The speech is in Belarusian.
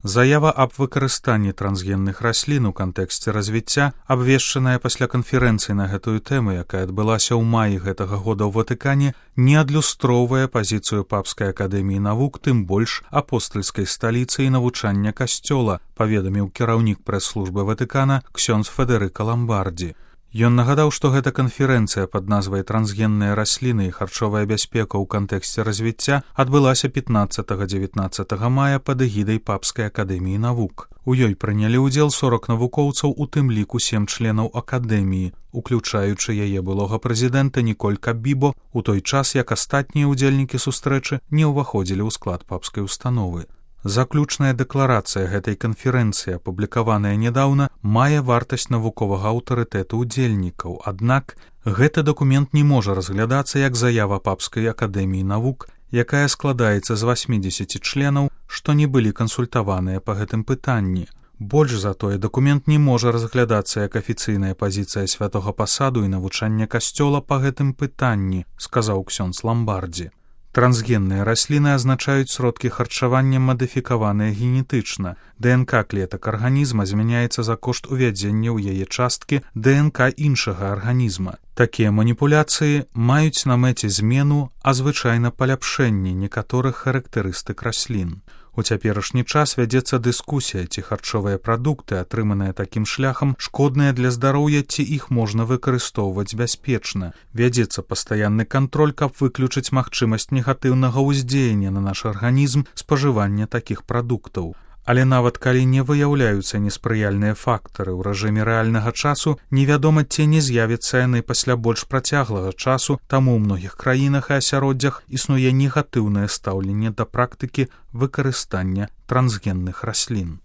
Заява аб выкарыстанні трансгенных раслін у кантэксце развіцця, абвешчаная пасля канферэнцыі на гэтую тэму, якая адбылася ў маі гэтага года ў Ватыкане, не адлюстроўвае пазіцыю Папскай акадэміі навук, тым больш апостальскай сталіцы і навучання касцёла, паведаміў кіраўнік прэс-службы Ватыкана ксёндз Федэрыка Ламбардзі. Ён нагадаў, што гэта канферэнцыя пад назвай «Трансгенныя расліны і харчовая бяспека ў кантэксце развіцця» адбылася 15-19 мая пад эгідай Папскай акадэміі навук. У ёй прынялі ўдзел 40 навукоўцаў, у тым ліку 7 членаў акадэміі, уключаючы яе былога прэзідэнта Ніколь Кабібо, у той час, як астатнія ўдзельнікі сустрэчы не ўваходзілі ў склад папскай установы. Заключная дэкларацыя гэтай канферэнцыі, апублікаваная нядаўна, мае вартасць навуковага аўтарытэту ўдзельнікаў, аднак гэты дакумент не можа разглядацца як заява Папскай акадэміі навук, якая складаецца з 80 членаў, што не былі кансультаваныя па гэтым пытанні. Больш за тое, дакумент не можа разглядацца як афіцыйная пазіцыя святога пасаду і навучання касцёла па гэтым пытанні, сказаў ксёндз Ламбардзі. Трансгенныя расліны азначаюць сродкі харчавання, мадыфікаваныя генетычна. ДНК клетак арганізма змяняецца за кошт увядзення ў яе часткі ДНК іншага арганізма. Такія маніпуляцыі маюць на мэце змену, а звычайна паляпшэнне некаторых характарыстык раслін. У цяперашні час вядзецца дыскусія, ці харчовыя прадукты, атрыманыя такім шляхам, шкодныя для здароўя, ці іх можна выкарыстоўваць бяспечна. Вядзецца пастаянны кантроль, каб выключыць магчымасць негатыўнага ўздзеяння на наш арганізм спажывання такіх прадуктаў. Але нават калі не выяўляюцца неспрыяльныя фактары ў рэжыме рэальнага часу, невядома, ці не з'явяцца яны пасля больш працяглага часу, таму ў многіх краінах і асяроддзях існуе негатыўнае стаўленне да практыкі выкарыстання трансгенных раслін.